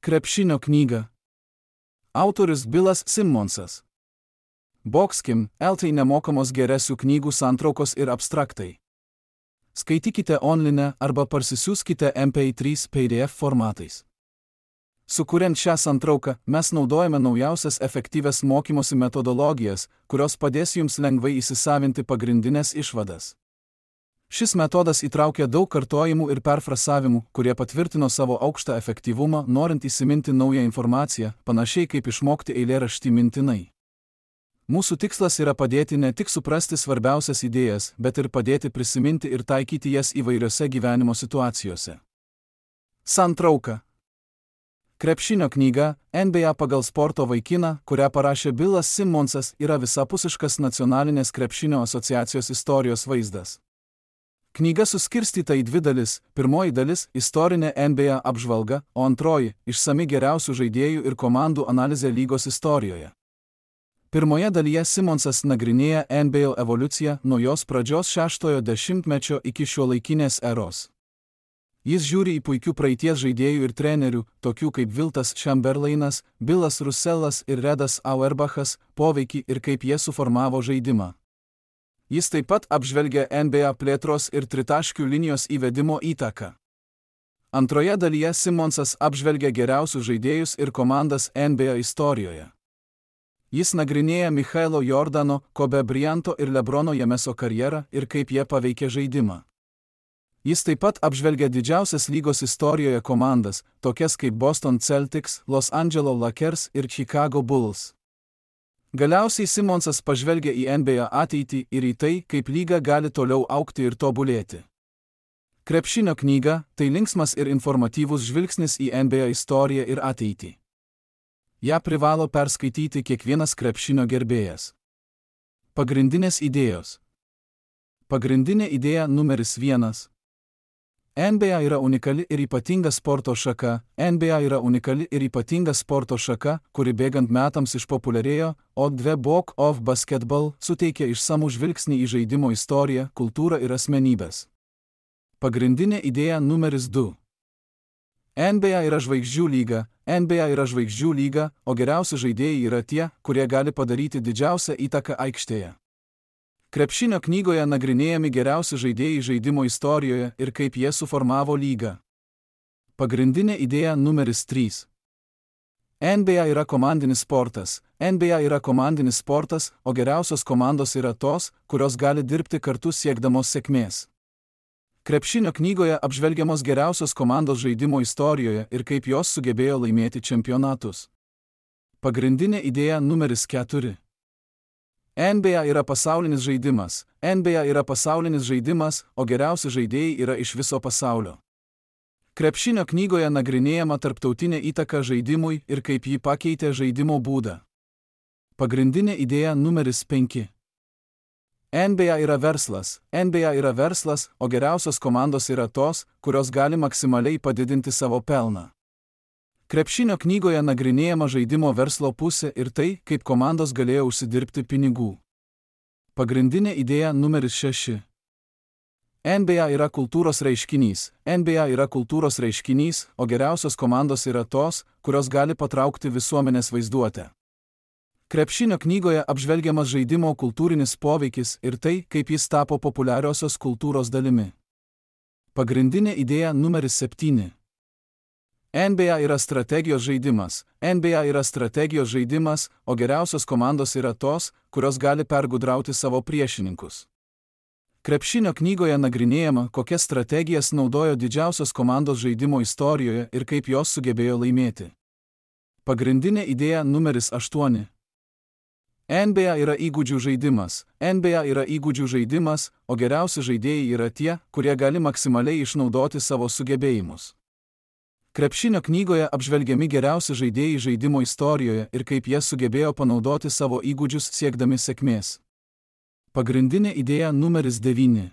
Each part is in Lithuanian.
Krepšinio knyga. Autorius Bilas Simmonsas. Boxkim, LT nemokamos geresių knygų santraukos ir abstraktai. Skaitykite online arba parsisiųskite MP3 PDF formatais. Sukuriant šią santrauką, mes naudojame naujausias efektyvias mokymosi metodologijas, kurios padės jums lengvai įsisavinti pagrindinės išvadas. Šis metodas įtraukia daug kartojimų ir perfrasavimų, kurie patvirtino savo aukštą efektyvumą, norint įsiminti naują informaciją, panašiai kaip išmokti eilėraštį mintinai. Mūsų tikslas yra padėti ne tik suprasti svarbiausias idėjas, bet ir padėti prisiminti ir taikyti jas įvairiose gyvenimo situacijose. Santrauka. Krepšinio knyga, NBA pagal sporto vaikiną, kurią parašė Bilas Simmonsas, yra visapusiškas nacionalinės krepšinio asociacijos istorijos vaizdas. Knyga suskirstyta į dvi dalis. Pirmoji dalis – istorinė NBA apžvalga, o antroji – išsami geriausių žaidėjų ir komandų analizė lygos istorijoje. Pirmoje dalyje Simmonsas nagrinėja NBA evoliuciją nuo jos pradžios 6-ojo dešimtmečio iki šiuolaikinės eros. Jis žiūri į puikių praeities žaidėjų ir trenerių, tokių kaip Wiltas Chamberlainas, Bilas Russellas ir Redas Auerbachas, poveikį ir kaip jie suformavo žaidimą. Jis taip pat apžvelgia NBA plėtros ir tritaškių linijos įvedimo įtaką. Antroje dalyje Simmonsas apžvelgia geriausius žaidėjus ir komandas NBA istorijoje. Jis nagrinėja Michaelo Jordano, Kobe Bryanto ir LeBrono Jameso karjerą ir kaip jie paveikė žaidimą. Jis taip pat apžvelgia didžiausias lygos istorijoje komandas, tokias kaip Boston Celtics, Los Angeles Lakers ir Chicago Bulls. Galiausiai Simmonsas pažvelgia į NBA ateitį ir į tai, kaip lyga gali toliau augti ir tobulėti. Krepšinio knyga – tai linksmas ir informatyvus žvilgsnis į NBA istoriją ir ateitį. Ja privalo perskaityti kiekvienas krepšinio gerbėjas. Pagrindinės idėjos. Pagrindinė idėja numeris 1. NBA yra unikali ir ypatinga sporto šaka. NBA yra unikali ir ypatinga sporto šaka, kuri bėgant metams išpopuliarėjo, o The Book of Basketball suteikia išsamų žvilgsnį į žaidimo istoriją, kultūrą ir asmenybės. Pagrindinė idėja numeris 2. NBA yra žvaigždžių lyga. NBA yra žvaigždžių lyga, o geriausi žaidėjai yra tie, kurie gali padaryti didžiausią įtaką aikštėje. Krepšinio knygoje nagrinėjami geriausi žaidėjai žaidimo istorijoje ir kaip jie suformavo lygą. Pagrindinė idėja numeris 3. NBA yra komandinis sportas. NBA yra komandinis sportas, o geriausios komandos yra tos, kurios gali dirbti kartu siekdamos sėkmės. Krepšinio knygoje apžvelgiamos geriausios komandos žaidimo istorijoje ir kaip jos sugebėjo laimėti čempionatus. Pagrindinė idėja numeris 4. NBA yra pasaulinis žaidimas. NBA yra pasaulinis žaidimas, o geriausi žaidėjai yra iš viso pasaulio. Krepšinio knygoje nagrinėjama tarptautinė įtaka žaidimui ir kaip jį pakeitė žaidimo būdą. Pagrindinė idėja numeris 5. NBA yra verslas. NBA yra verslas, o geriausios komandos yra tos, kurios gali maksimaliai padidinti savo pelną. Krepšinio knygoje nagrinėjama žaidimo verslo pusė ir tai, kaip komandos galėjo užsidirbti pinigų. Pagrindinė idėja numeris 6. NBA yra kultūros reiškinys. NBA yra kultūros reiškinys, o geriausios komandos yra tos, kurios gali patraukti visuomenės vaizduotę. Krepšinio knygoje apžvelgiamas žaidimo kultūrinis poveikis ir tai, kaip jis tapo populiariosios kultūros dalimi. Pagrindinė idėja numeris 7. NBA yra strategijos žaidimas. NBA yra strategijos žaidimas, o geriausios komandos yra tos, kurios gali pergudrauti savo priešininkus. Krepšinio knygoje nagrinėjama, kokias strategijas naudojo didžiausios komandos žaidimo istorijoje ir kaip jos sugebėjo laimėti. Pagrindinė idėja numeris 8. NBA yra įgūdžių žaidimas. NBA yra įgūdžių žaidimas, o geriausi žaidėjai yra tie, kurie gali maksimaliai išnaudoti savo sugebėjimus. Krepšinio knygoje apžvelgiami geriausi žaidėjai žaidimo istorijoje ir kaip jie sugebėjo panaudoti savo įgūdžius siekdami sėkmės. Pagrindinė idėja numeris 9.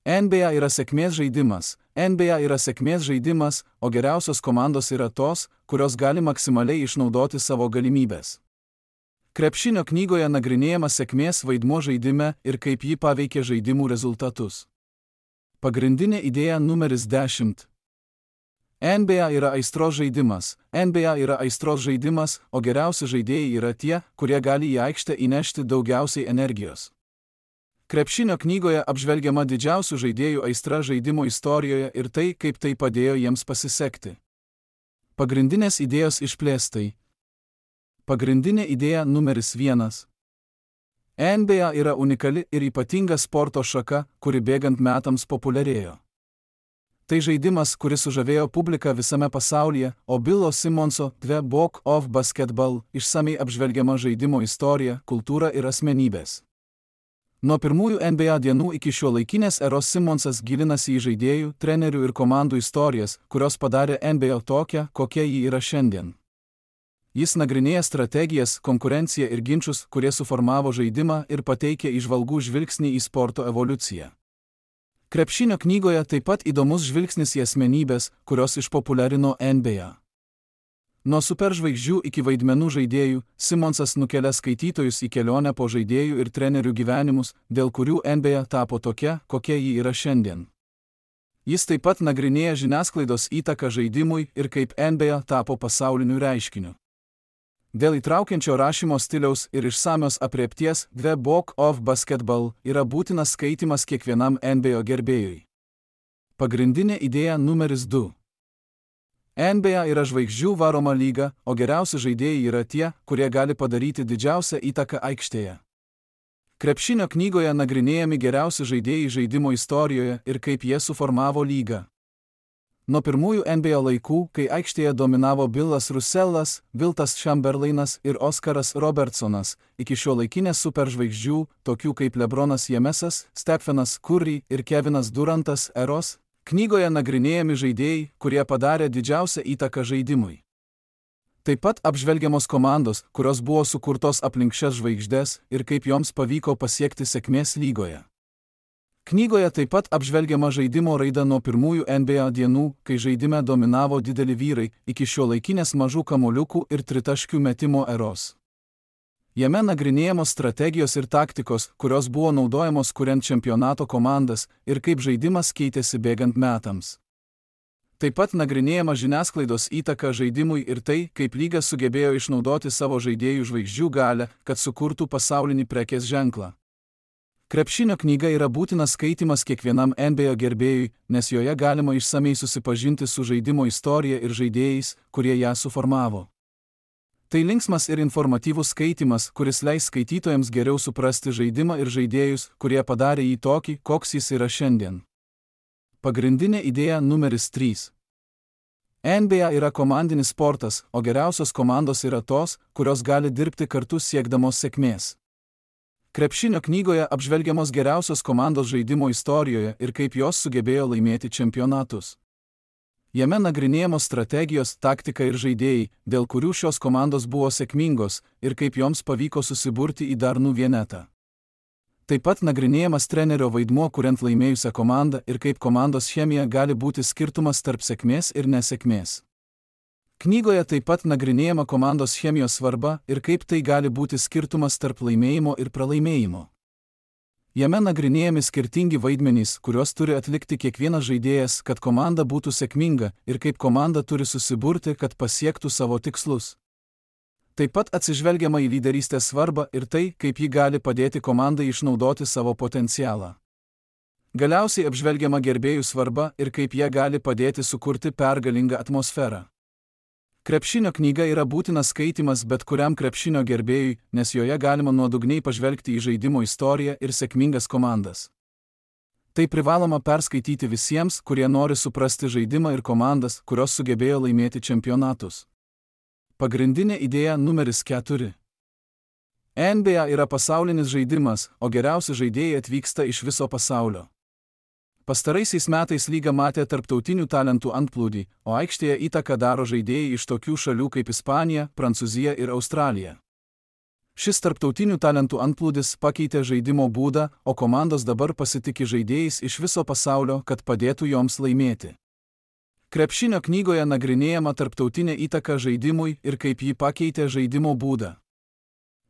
NBA yra sėkmės žaidimas. NBA yra sėkmės žaidimas, o geriausios komandos yra tos, kurios gali maksimaliai išnaudoti savo galimybės. Krepšinio knygoje nagrinėjama sėkmės vaidmuo žaidime ir kaip jį paveikė žaidimų rezultatus. Pagrindinė idėja numeris 10. NBA yra aistros žaidimas. NBA yra aistros žaidimas, o geriausi žaidėjai yra tie, kurie gali į aikštę įnešti daugiausiai energijos. Krepšinio knygoje apžvelgiama didžiausių žaidėjų aistra žaidimo istorijoje ir tai, kaip tai padėjo jiems pasisekti. Pagrindinės idėjos išplėstai. Pagrindinė idėja numeris 1. NBA yra unikali ir ypatinga sporto šaka, kuri bėgant metams populiarėjo. Tai žaidimas, kuris sužavėjo publiką visame pasaulyje, o Billo Simonso The Book of Basketball išsamiai apžvelgiama žaidimo istorija, kultūra ir asmenybės. Nuo pirmųjų NBA dienų iki šiuolaikinės eros Simonsas gilinasi į žaidėjų, trenerių ir komandų istorijas, kurios padarė NBA tokią, kokia ji yra šiandien. Jis nagrinėja strategijas, konkurenciją ir ginčus, kurie suformavo žaidimą ir pateikė įžvalgų žvilgsnį į sporto evoliuciją. Krepšinio knygoje taip pat įdomus žvilgsnis į asmenybės, kurios išpopuliarino NBA. Nuo superžvaigždžių iki vaidmenų žaidėjų, Simonsas nukelia skaitytojus į kelionę po žaidėjų ir trenerių gyvenimus, dėl kurių NBA tapo tokia, kokia ji yra šiandien. Jis taip pat nagrinėja žiniasklaidos įtaką žaidimui ir kaip NBA tapo pasauliniu reiškiniu. Dėl įtraukiančio rašymo stiliaus ir išsamios aprėpties The Book of Basketball yra būtinas skaitymas kiekvienam NBA gerbėjui. Pagrindinė idėja numeris 2. NBA yra žvaigždžių varoma lyga, o geriausi žaidėjai yra tie, kurie gali padaryti didžiausią įtaką aikštėje. Krepšinio knygoje nagrinėjami geriausi žaidėjai žaidimo istorijoje ir kaip jie suformavo lygą. Nuo pirmųjų NBA laikų, kai aikštėje dominavo Billas Russellas, Wiltas Chamberlainas ir Oskaras Robertsonas, iki šiuolaikinės superžvaigždžių, tokių kaip LeBronas Jamesas, Stephenas Curry ir Kevinas Durantas eros, knygoje nagrinėjami žaidėjai, kurie padarė didžiausią įtaką žaidimui. Taip pat apžvelgiamos komandos, kurios buvo sukurtos aplink šias žvaigždes ir kaip joms pavyko pasiekti sėkmės lygoje. Knygoje taip pat apžvelgiama žaidimo raida nuo pirmųjų NBA dienų, kai žaidime dominavo dideli vyrai, iki šiuolaikinės mažų kamuoliukų ir tritaškių metimo eros. Jame nagrinėjamos strategijos ir taktikos, kurios buvo naudojamos kuriant čempionato komandas ir kaip žaidimas keitėsi bėgant metams. Taip pat nagrinėjama žiniasklaidos įtaka žaidimui ir tai, kaip lyga sugebėjo išnaudoti savo žaidėjų žvaigždžių galią, kad sukurtų pasaulinį prekės ženklą. Krepšinio knyga yra būtinas skaitimas kiekvienam NBA gerbėjui, nes joje galima išsamei susipažinti su žaidimo istorija ir žaidėjais, kurie ją suformavo. Tai linksmas ir informatyvus skaitimas, kuris leis skaitytojams geriau suprasti žaidimą ir žaidėjus, kurie padarė jį tokį, koks jis yra šiandien. Pagrindinė idėja numeris 3. NBA yra komandinis sportas, o geriausios komandos yra tos, kurios gali dirbti kartu siekdamos sėkmės. Krepšinio knygoje apžvelgiamos geriausios komandos žaidimo istorijoje ir kaip jos sugebėjo laimėti čempionatus. Jame nagrinėjamos strategijos, taktika ir žaidėjai, dėl kurių šios komandos buvo sėkmingos ir kaip joms pavyko susiburti į darnų vienetą. Taip pat nagrinėjamas trenerio vaidmuo kuriant laimėjusią komandą ir kaip komandos chemija gali būti skirtumas tarp sėkmės ir nesėkmės. Knygoje taip pat nagrinėjama komandos chemijos svarba ir kaip tai gali būti skirtumas tarp laimėjimo ir pralaimėjimo. Jame nagrinėjami skirtingi vaidmenys, kuriuos turi atlikti kiekvienas žaidėjas, kad komanda būtų sėkminga ir kaip komanda turi susiburti, kad pasiektų savo tikslus. Taip pat atsižvelgiama į lyderystės svarbą ir tai, kaip ji gali padėti komandai išnaudoti savo potencialą. Galiausiai apžvelgiama gerbėjų svarba ir kaip jie gali padėti sukurti pergalingą atmosferą. Krepšinio knyga yra būtinas skaitimas bet kuriam krepšinio gerbėjui, nes joje galima nuodugniai pažvelgti į žaidimo istoriją ir sėkmingas komandas. Tai privaloma perskaityti visiems, kurie nori suprasti žaidimą ir komandas, kurios sugebėjo laimėti čempionatus. Pagrindinė idėja numeris 4. NBA yra pasaulinis žaidimas, o geriausi žaidėjai atvyksta iš viso pasaulio. Pastaraisiais metais lyga matė tarptautinių talentų antplūdį, o aikštėje įtaką daro žaidėjai iš tokių šalių kaip Ispanija, Prancūzija ir Australija. Šis tarptautinių talentų antplūdis pakeitė žaidimo būdą, o komandos dabar pasitiki žaidėjais iš viso pasaulio, kad padėtų joms laimėti. Krepšinio knygoje nagrinėjama tarptautinė įtaka žaidimui ir kaip ji pakeitė žaidimo būdą.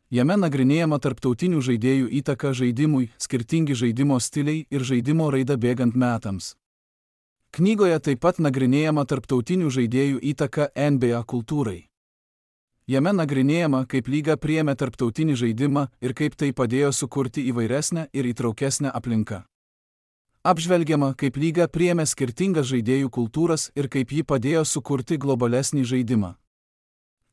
Jame nagrinėjama tarptautinių žaidėjų įtaka žaidimui, skirtingi žaidimo stiliai ir žaidimo raida bėgant metams. Knygoje taip pat nagrinėjama tarptautinių žaidėjų įtaka NBA kultūrai. Jame nagrinėjama, kaip lyga priėmė tarptautinį žaidimą ir kaip tai padėjo sukurti įvairesnę ir įtraukesnę aplinką. Apžvelgiama, kaip lyga priėmė skirtingas žaidėjų kultūras ir kaip ji padėjo sukurti globalesnį žaidimą.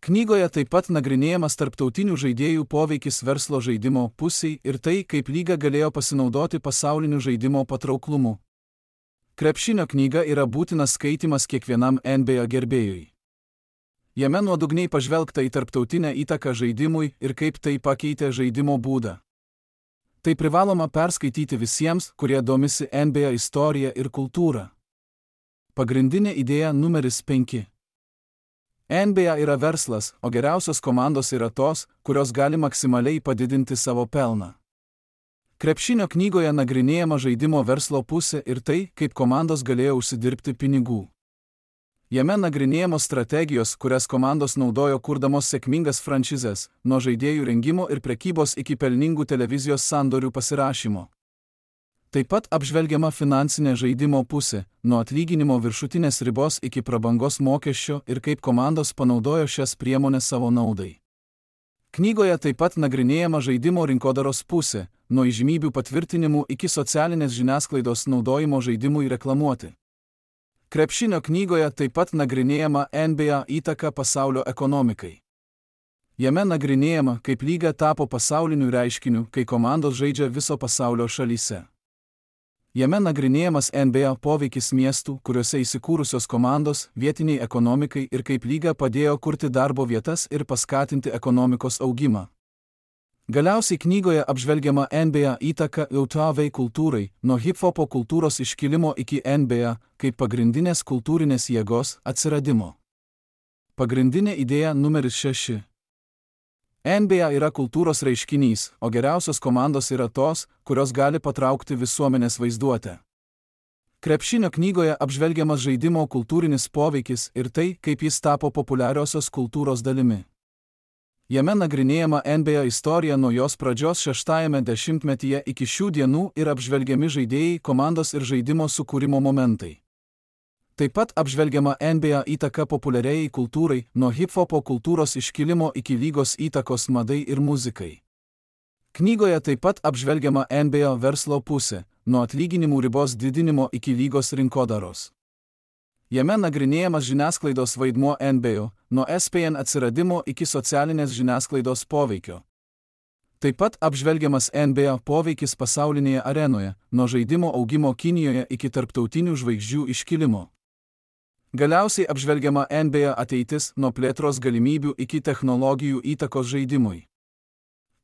Knygoje taip pat nagrinėjamas tarptautinių žaidėjų poveikis verslo žaidimo pusiai ir tai, kaip lyga galėjo pasinaudoti pasauliniu žaidimo patrauklumu. Krepšinio knyga yra būtinas skaitymas kiekvienam NBA gerbėjui. Jame nuodugniai pažvelgta į tarptautinę įtaką žaidimui ir kaip tai pakeitė žaidimo būdą. Tai privaloma perskaityti visiems, kurie domisi NBA istorija ir kultūra. Pagrindinė idėja numeris 5. NBA yra verslas, o geriausios komandos yra tos, kurios gali maksimaliai padidinti savo pelną. Krepšinio knygoje nagrinėjama žaidimo verslo pusė ir tai, kaip komandos galėjo užsidirbti pinigų. Jame nagrinėjamos strategijos, kurias komandos naudojo kurdamos sėkmingas franšizes, nuo žaidėjų rengimo ir prekybos iki pelningų televizijos sandorių pasirašymo. Taip pat apžvelgiama finansinė žaidimo pusė, nuo atlyginimo viršutinės ribos iki prabangos mokesčio ir kaip komandos panaudojo šias priemones savo naudai. Knygoje taip pat nagrinėjama žaidimo rinkodaros pusė, nuo įžymybių patvirtinimų iki socialinės žiniasklaidos naudojimo žaidimui reklamuoti. Krepšinio knygoje taip pat nagrinėjama NBA įtaka pasaulio ekonomikai. Jame nagrinėjama, kaip lyga tapo pasauliniu reiškiniu, kai komandos žaidžia viso pasaulio šalyse. Jame nagrinėjamas NBA poveikis miestų, kuriuose įsikūrusios komandos, vietiniai ekonomikai ir kaip lyga padėjo kurti darbo vietas ir paskatinti ekonomikos augimą. Galiausiai knygoje apžvelgiama NBA įtaka jautavai kultūrai, nuo hip-hopo kultūros iškilimo iki NBA, kaip pagrindinės kultūrinės jėgos atsiradimo. Pagrindinė idėja numeris 6. NBA yra kultūros reiškinys, o geriausios komandos yra tos, kurios gali patraukti visuomenės vaizduotę. Krepšinio knygoje apžvelgiamas žaidimo kultūrinis poveikis ir tai, kaip jis tapo populiariosios kultūros dalimi. Jame nagrinėjama NBA istorija nuo jos pradžios 6-ame dešimtmetyje iki šių dienų ir apžvelgiami žaidėjai, komandos ir žaidimo sukūrimo momentai. Taip pat apžvelgiama NBA įtaka populiariai kultūrai, nuo hip-hopo kultūros iškilimo iki lygos įtakos madai ir muzikai. Knygoje taip pat apžvelgiama NBA verslo pusė, nuo atlyginimų ribos didinimo iki lygos rinkodaros. Jame nagrinėjamas žiniasklaidos vaidmuo NBA, nuo ESPN atsiradimo iki socialinės žiniasklaidos poveikio. Taip pat apžvelgiamas NBA poveikis pasaulinėje arenoje, nuo žaidimo augimo Kinijoje iki tarptautinių žvaigždžių iškilimo. Galiausiai apžvelgiama NBA ateitis, nuo plėtros galimybių iki technologijų įtakos žaidimui.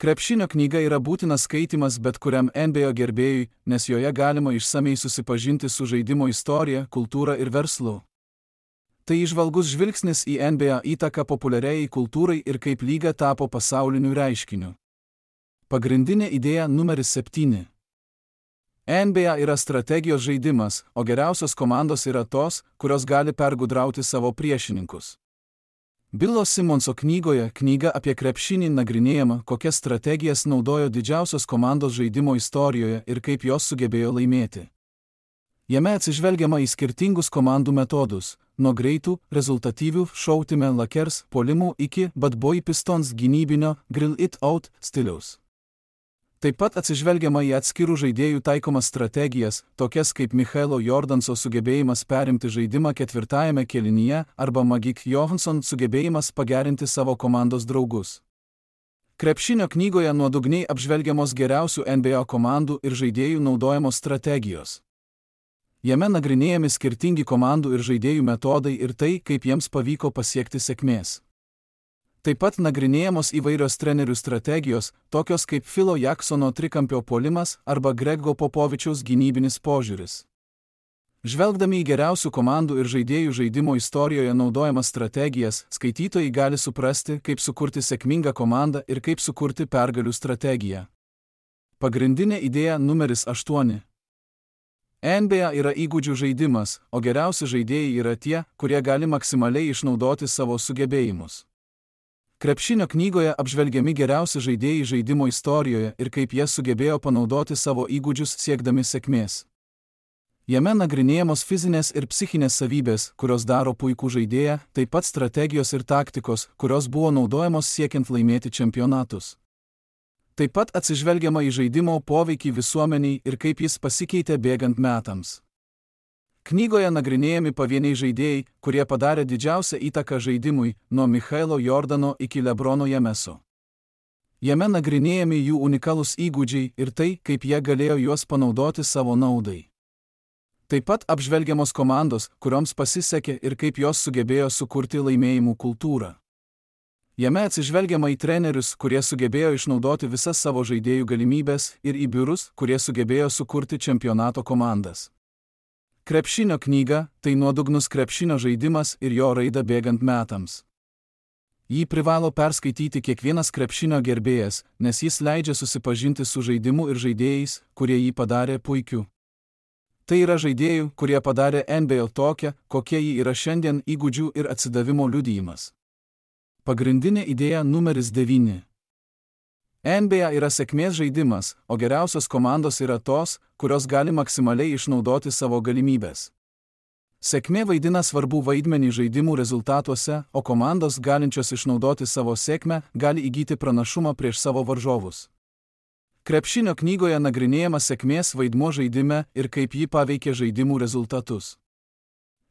Krepšinio knyga yra būtinas skaitimas bet kuriam NBA gerbėjui, nes joje galima išsamiai susipažinti su žaidimo istorija, kultūra ir verslu. Tai įžvalgus žvilgsnis į NBA įtaką populiariai kultūrai ir kaip lyga tapo pasauliniu reiškiniu. Pagrindinė idėja numeris 7. NBA yra strategijos žaidimas, o geriausios komandos yra tos, kurios gali pergudrauti savo priešininkus. Billo Simonso knygoje Knyga apie krepšinį nagrinėjama, kokias strategijas naudojo didžiausios komandos žaidimo istorijoje ir kaip jos sugebėjo laimėti. Jame atsižvelgiama į skirtingus komandų metodus, nuo greitų, rezultatyvių šautime Lakers puolimų iki Bad Boy Pistons gynybinio Grill It Out stiliaus. Taip pat atsižvelgiama į atskirų žaidėjų taikomas strategijas, tokias kaip Michaelo Jordanso sugebėjimas perimti žaidimą 4-ajame kėlinyje arba Magic Johansson sugebėjimas pagerinti savo komandos draugus. Krepšinio knygoje nuodugniai apžvelgiamos geriausių NBA komandų ir žaidėjų naudojamos strategijos. Jame nagrinėjami skirtingi komandų ir žaidėjų metodai ir tai, kaip jiems pavyko pasiekti sėkmės. Taip pat nagrinėjamos įvairios trenerių strategijos, tokios kaip Philo Jacksono trikampio puolimas arba Grego Popovičiaus gynybinis požiūris. Žvelgdami į geriausių komandų ir žaidėjų žaidimo istorijoje naudojamas strategijas, skaitytojai gali suprasti, kaip sukurti sėkmingą komandą ir kaip sukurti pergalių strategiją. Pagrindinė idėja numeris 8. NBA yra įgūdžių žaidimas, o geriausi žaidėjai yra tie, kurie gali maksimaliai išnaudoti savo sugebėjimus. Krepšinio knygoje apžvelgiami geriausi žaidėjai žaidimo istorijoje ir kaip jie sugebėjo panaudoti savo įgūdžius siekdami sėkmės. Jame nagrinėjamos fizinės ir psichinės savybės, kurios daro puikų žaidėją, taip pat strategijos ir taktikos, kurios buvo naudojamos siekiant laimėti čempionatus. Taip pat atsižvelgiama į žaidimo poveikį visuomeniai ir kaip jis pasikeitė bėgant metams. Knygoje nagrinėjami pavieniai žaidėjai, kurie padarė didžiausią įtaką žaidimui, nuo Michailo Jordano iki LeBrono Jameso. Jame nagrinėjami jų unikalūs įgūdžiai ir tai, kaip jie galėjo juos panaudoti savo naudai. Taip pat apžvelgiamos komandos, kurioms pasisekė ir kaip jos sugebėjo sukurti laimėjimų kultūrą. Jame atsižvelgiama į trenerius, kurie sugebėjo išnaudoti visas savo žaidėjų galimybės, ir į biurus, kurie sugebėjo sukurti čempionato komandas. Krepšinio knyga – tai nuodugnus krepšinio žaidimas ir jo raida bėgant metams. Jį privalo perskaityti kiekvienas krepšinio gerbėjas, nes jis leidžia susipažinti su žaidimu ir žaidėjais, kurie jį padarė puikiu. Tai yra žaidėjų, kurie padarė NBA tokią, kokie jį yra šiandien, įgūdžių ir atsidavimo liudijimas. Pagrindinė idėja numeris 9. NBA yra sėkmės žaidimas, o geriausios komandos yra tos, kurios gali maksimaliai išnaudoti savo galimybės. Sėkmė vaidina svarbų vaidmenį žaidimų rezultatuose, o komandos galinčios išnaudoti savo sėkmę gali įgyti pranašumą prieš savo varžovus. Krepšinio knygoje nagrinėjama sėkmės vaidmuo žaidime ir kaip ji paveikia žaidimų rezultatus.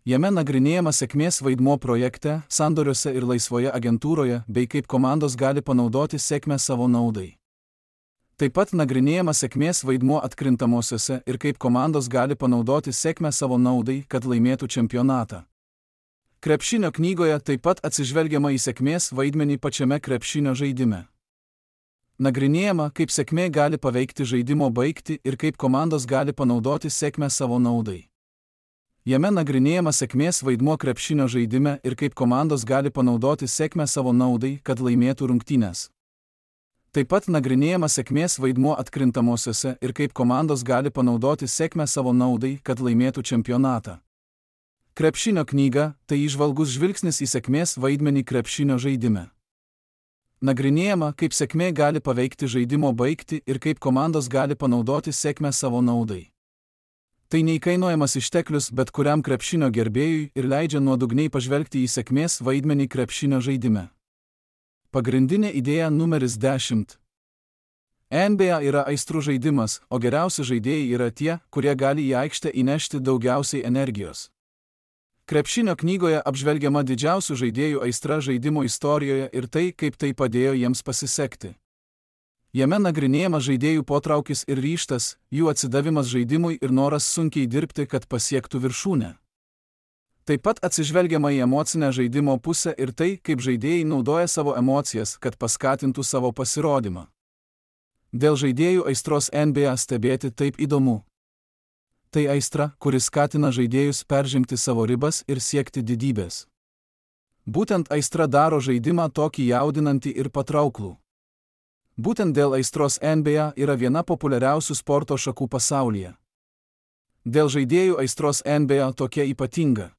Jame nagrinėjama sėkmės vaidmuo projekte, sandoriuose ir laisvoje agentūroje, bei kaip komandos gali panaudoti sėkmę savo naudai. Taip pat nagrinėjama sėkmės vaidmuo atkrintamosiose ir kaip komandos gali panaudoti sėkmę savo naudai, kad laimėtų čempionatą. Krepšinio knygoje taip pat atsižvelgiama į sėkmės vaidmenį pačiame krepšinio žaidime. Nagrinėjama, kaip sėkmė gali paveikti žaidimo baigtį ir kaip komandos gali panaudoti sėkmę savo naudai. Jame nagrinėjama sėkmės vaidmuo krepšinio žaidime ir kaip komandos gali panaudoti sėkmę savo naudai, kad laimėtų rungtynes. Taip pat nagrinėjama sėkmės vaidmuo atkrintamosiose ir kaip komandos gali panaudoti sėkmę savo naudai, kad laimėtų čempionatą. Krepšinio knyga – tai įžvalgus žvilgsnis į sėkmės vaidmenį krepšinio žaidime. Nagrinėjama, kaip sėkmė gali paveikti žaidimo baigtį ir kaip komandos gali panaudoti sėkmę savo naudai. Tai neįkainuojamas išteklius bet kuriam krepšinio gerbėjui ir leidžia nuodugniai pažvelgti į sėkmės vaidmenį krepšinio žaidime. Pagrindinė idėja numeris 10. NBA yra aistrų žaidimas, o geriausi žaidėjai yra tie, kurie gali į aikštę įnešti daugiausiai energijos. Krepšinio knygoje apžvelgiama didžiausių žaidėjų aistra žaidimo istorijoje ir tai, kaip tai padėjo jiems pasisekti. Jame nagrinėjama žaidėjų potraukis ir ryžtas, jų atsidavimas žaidimui ir noras sunkiai dirbti, kad pasiektų viršūnę. Taip pat atsižvelgiama į emocinę žaidimo pusę ir tai, kaip žaidėjai naudoja savo emocijas, kad paskatintų savo pasirodymą. Dėl žaidėjų aistros NBA stebėti taip įdomu. Tai aistra, kuris skatina žaidėjus peržengti savo ribas ir siekti didybės. Būtent aistra daro žaidimą tokį jaudinantį ir patrauklų. Būtent dėl aistros NBA yra viena populiariausių sporto šakų pasaulyje. Dėl žaidėjų aistros NBA tokia ypatinga.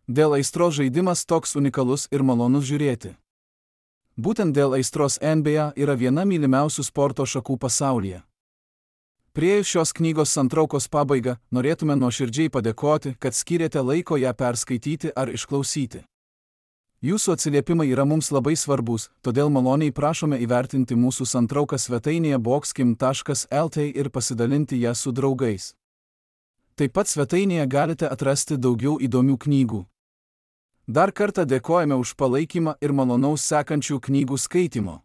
Dėl aistros žaidimas toks unikalus ir malonus žiūrėti. Būtent dėl aistros NBA yra viena mylimiausių sporto šakų pasaulyje. Priėjus šios knygos santraukos pabaigą, norėtume nuoširdžiai padėkoti, kad skyrėte laiko ją perskaityti ar išklausyti. Jūsų atsiliepimai yra mums labai svarbus, todėl maloniai prašome įvertinti mūsų santrauką svetainėje boxkim.lt ir pasidalinti ją su draugais. Taip pat svetainėje galite atrasti daugiau įdomių knygų. Dar kartą dėkojame už palaikymą ir malonaus sekančių knygų skaitimo.